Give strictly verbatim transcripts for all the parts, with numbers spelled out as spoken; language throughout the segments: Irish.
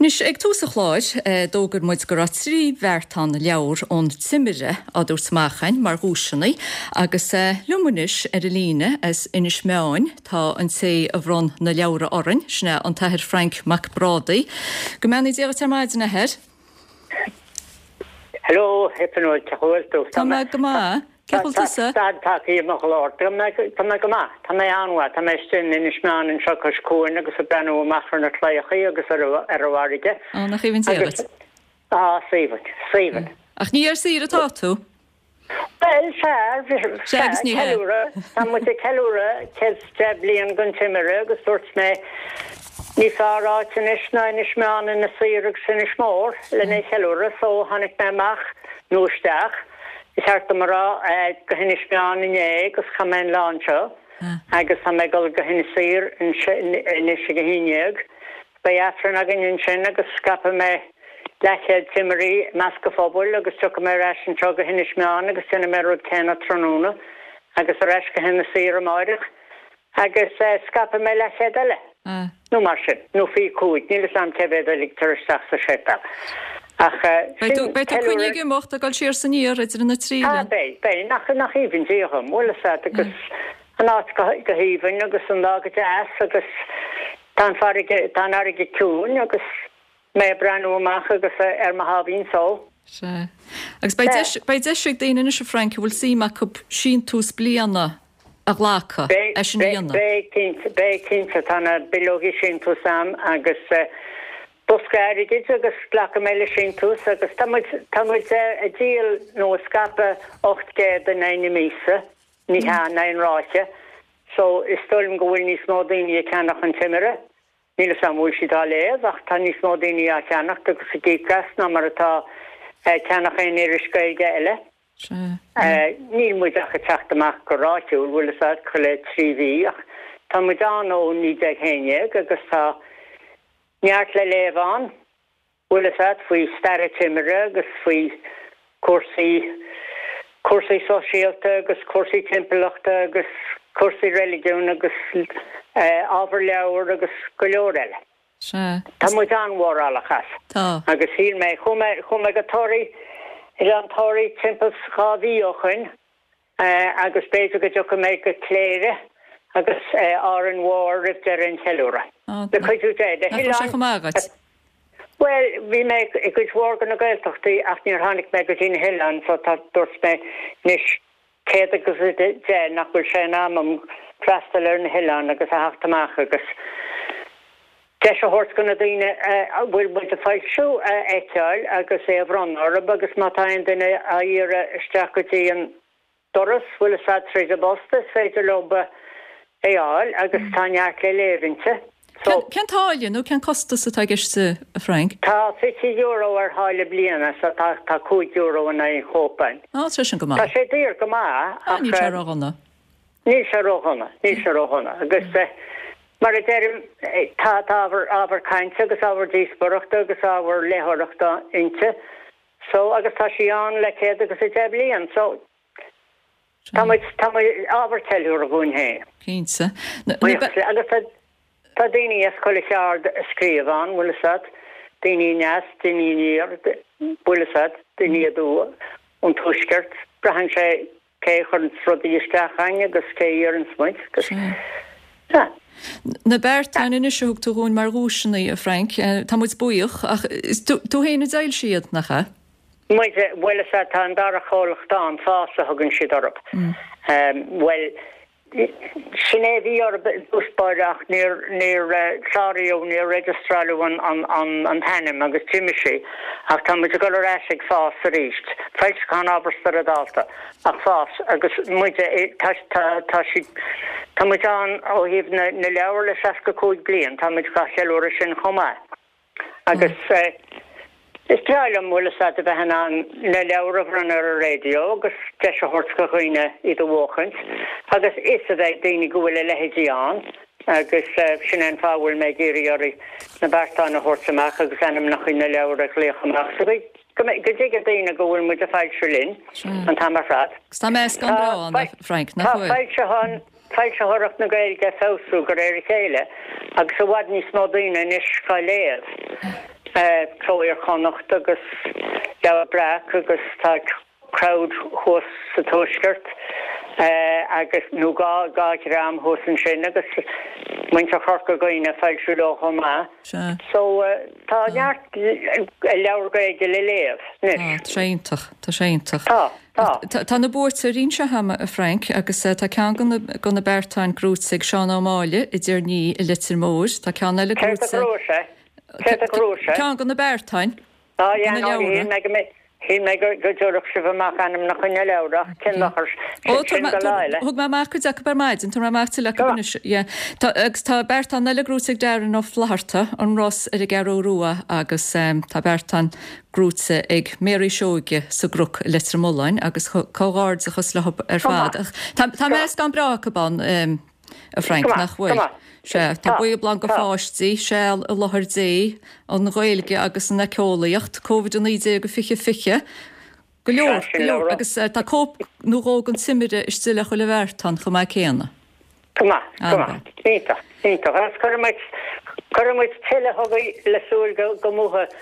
Anois, ag tús an chláir, d'fhógair muid go raibh trí bheartán leabhar ón Timire á dtabhairt amach againn mar dhuaiseanna agus liom anois ar an líne as Inis Meáin tá an té a bhronn na leabhra orainn, sin é an tAthair Frainc Mac Brádaigh. Go mbeannaí Dia dhuit ar maidin, a Athair. Hello, a Fhionnuala, cén chaoi a bhfuil tú? Tá mé go maith. Cén chaoi a bhfuil tusa? Stad tagtha i mo ghlór. Tá mé tá mé go maith. Tá mé an-mhaith. Tá mé istigh in Inis Meáin anseo cois cuain agus ag breathnú amach ar na claíochaí agus ar ar an bhfarraige. Á, nach aoibhinn Dia Agus dhuit. á, is aoibhinn, is aoibhinn. Ach ní ar saoire atá tú? Bhuel, sea, Sea sea, agus ní hea. ceiliúradh. Tá muid ag ceiliúradh céad is deich bliain den Timire agus dúirt mé ní fearr áit anois ná Inis Meáin, Inis Oírr agus Inis Mór lena cheiliúradh so tháinig mé amach nó isteach. Ba cheart dom a rá go hInis Meáin inné agus chaith mé an lá anseo agus tá mé ag dul go hInis Oírr anois ag a haon dhéag. Beidh Aifreann againn ansin agus scaipfidh mé leathchéad timirí i measc an phobail agus tiocfaidh mé ar ais anseo go hInis Meáin agus déanfaidh mé an rud céanna tráthnóna agus ar ais go hInis Oírr amáireach. Agus scaipfidh mé leathchéad eile, nó mar sin, nó fiche cúig, níl 'fhios a'm cé mhéad a ligtear isteach sa séipéal. Ach Beidh tú, sin beidh tú coinnithe ceiliúradh. ag imeacht, ag dul siar is aniar idir na trí Ah, oileán. beidh, beidh, nach, nach aoibhinn Dia dhom, bhfuil 'fhios a'd, agus an áit go, go haoibhinn agus an lá go deas agus tá an farraige, tá an fharraige ciúin agus mé ag breathnú amach agus ar mo sháimhín só. Sea. Agus beidh Sea. deis, beidh deis ag daoine anois, a Frank, a bhfuil suim acu síntiús bliana a ghlacadh, Beidh, é sin a beidh, dhéanamh. beidh cinnte, beidh cinnte, tá na bileogaí síntiús a'm agus bosca airgid agus glacfaidh mé le síntiús agus tá muid, tá muid ag díol nó ag scaipeadh ocht gcéad in aghaidh na míosa, ní hea, in aghaidh an ráithe, so is dóigh liom go bhfuil níos mó daoine ag ceannach an Timire. Níl 'fhios a'm an bhfuil siad á léamh ach tá níos mó daoine á cheannacht agus ag íoc as ná mar atá ag ceannach aon iris Gaeilge eile. Níl muid ach ag teacht amach go ráithiúil, bhfuil 'fhios a'd, chuile trí mhí ach tá muid ann ó naoi déag haon dhéag agus tá neart le léamh ann. Bhfuil 'fhios a'd, faoi stair an Timire agus faoi cúrsaí, cúrsaí sóisialta agus cúrsaí timpeallachta agus cúrsaí reiligiúin agus ábhar leabhar agus go leor eile. Sea. Tá muid an-mhórálach as. Tá. Agus shíl mé, chuaigh mé, chuaigh mé go Toraigh, Oileán Thoraí timpeall 's dhá mhí ó shoin agus b'fhéidir go dtiocfaidh mé go Cléire agus Árainn Mhór roimh deireadh an cheiliúradh. Le cuidiú Dé. Na Nach bhfuil sé hoileáin. chomh maith agat? Bhuel, bhí mé i gcuid mhór de na Gaeltachtaí ach níor tháinig mé go dtí na hoileáin so tá, dúirt mé anois céad agus a deich nach bhfuil sé in am a'm freastal ar na hoileáin agus a theacht amach agus deis a thabhairt do na daoine a bhfuil muid ag foilsiú a fheiceáil agus é a bhronnadh orthu agus má tá aon duine á iarraidh isteach go dtí an doras, bhfuil 'fhios a'd, tríd an bpost, is féidir leo é a fháil agus tá neart le léamh inti. So. Cén táille nó cén costas atá i gceist, a Frank? Tá fiche euro ar tháille bliana so tá tá cúig euro in aghaidh an chóipe. Á, tá sin go Tá maith. sé daor go maith Á, ach níl sé ródhona. níl sé ródhona, níl sé ródhona agus mar a deirim tá tá ábhar ábhar cainte agus ábhar díospóireachta agus ábhar léitheoireachta inti so agus tá sí ann le céad agus a deich bliain so tá muid tá muid ábhar ceiliúradh dhúinn féin. Cinnte. Na, na, Buíochas le agus tá tá daoine as chuile cheard ag scríobh ann, bhfuil 'fhios a'd, daoine aneas, daoine aniar, bhfuil 'fhios a'd, daoine aduaidh ón tuaisceart, braitheann sé cé a chuireanns rudaí isteach againn agus cé a iarranns muid agus sea. Na beartáin anois a thug tú dhúinn mar dhuaiseanna, a Frank, tá muid buíoch, ach is tú tú féin a d'fhoilsigh iad, nach ea? Muide, bhuel is ea, tá an dara comhlacht ann, Fás a thugann siad orthu. Bhuel, sin é a bhí orthu i dtús báire ach níor, níor cláraíodh, níor registeráladh an, an, an, an t-ainm agus d'imigh sí. Ach tá muid ag dul ar ais ag Fás arís. Foilseachán Ábhar Spioradálta, ach Fás agus muide, tá, tá, tá siad, tá muid ann ó thaobh na, na leabhar le seasca cúig bliain, tá muid dhá cheiliúradh sin chomh maith. Agus is breá liom, bhfuil 'fhios a'd, a bheith in ann na leabhair a bhronnadh ar an raidió agus deis a thabhairt do dhaoine iad a bhuachaint agus fhios a bheith ag daoine go bhfuil a leithéidí ann agus sin é an fáth a bhfuil mé ag iarraidh oraibh na beartáin a thabhairt amach agus ainmneacha na leabhar a ghlaoch amach so go go dtuigfidh daoine go bhfuil muid ag foilsiú linn an t-am ar fad. Agus tá meascán breá ann, a Frank, nach Tá bhfuil? foilseachán foilsitheoireacht na Gaeilge ag feabhsú de réir a chéile agus i bhfad níos mó daoine anois á léamh Cló Iar-Chonnacht agus Leabhar Breac agus tá crowd thuas sa Tuaisceart agus nó dhá dhá dhream thuas ansin agus muintir Chorca Dhuibhne ag foilsiú leo chomh maith. Sea. So tá neart leabhar Gaeilge le léamh anois. Tá, tá sé iontach, tá sé iontach. Tá, tá. Tá na buaiteoirí anseo agam, a Frank, agus tá ceann de na beartáin gnóite ag Seán Ó Máille i dTír an Fhia i Leitir Móir, tá ceann eile Céard a gnóite. ghnóthaigh sé? Céard a ghnóthaigh sé? Ceann de na beartáin. Á, yeah, na no, leabhra. shíl mé go mbeidh, shíl mé go go dtabharfadh sibh amach ainmneacha na leabhar ach cén dochar, Ó, sin tabhair go lá eile. Thug mé amach cuid acu ar maidin, tabharfaidh mé amach tuilleadh acu Go anois. Yeah. Tá, agus tá beartán eile gnóite ag Darren Ó Flatharta, an Ros ar an gCeathrú Rua, agus um, tá beartán gnóite ag Mary Seoige sa gCnoc i Leitir Mealláin, agus cho- comhghairdeachas leo ar fad. maith. Ach Tá, tá meascán breá acu ann, um, a Frank, Go maith, nach bhfuil. go maith. Sea, tá Tá, Bíobla go tá. pháistí, Seal i láthair Dé, an Ghaeilge agus an éiceolaíocht, Covid a naoi déag fiche fiche. Go leor, Sea, go sin leor, leabhar. agus eh, tá cóip nó dhó den Timire istigh le chuile bheartán chomh maith céanna. Go maith, go An-mhaith. maith. Iontach, iontach. Agus cuirfidh muid, cuirfidh muid tuilleadh chugaibh le súil go, go mbuafaidh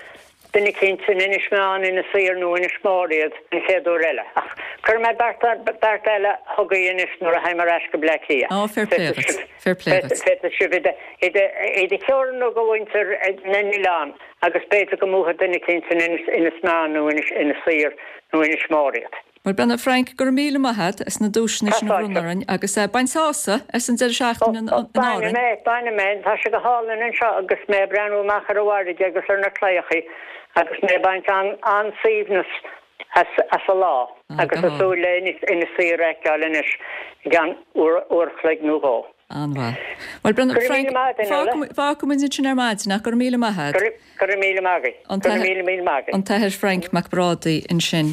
duine eicínt in Inis Meáin, Inis Oírr nó Inis Mór iad an chéad uair eile. Ach cuirfidh mé beart, beart eile chugaibh anois nuair a théim ar ais go Bleá Cliath. Ó, fair play duit, fair play duit. Féadfaidh sibh iad a theorannú go mhuintir na n-oileán agus b'fhéidir go mbuafaidh duine eicínt in Inis, Inis Meáin nó Inis, Inis Oírr nó Inis Mór iad. Bhuel Brenna Frank, go raibh míle maith agat as na duaiseanna sin a Tá bhronnadh orainn agus eh, bain sásamh as an deireadh seachtaine in in Bainfidh Árainn. mé, bainfidh mé, tá sé go hálainn anseo agus mé ag breathnú amach ar an bhfarraige agus ar na claíochaí agus mé ag baint an an-suaimhneas as as an lá Ah, agus go ag súil le Inis Inis Oírr a fheiceáil anois i gceann uair uair a chloig nó dhó. An-mhaith. Bhuel Brenna Go raibh Frank, míle maith agat, Nuala. fágfaidh muid ansin ar maidin ach go raibh míle maith agat. Go raibh go raibh míle maith agat. An Go raibh t- míle míle maith agat. An tAthair Frank Mac Brádaigh ansin.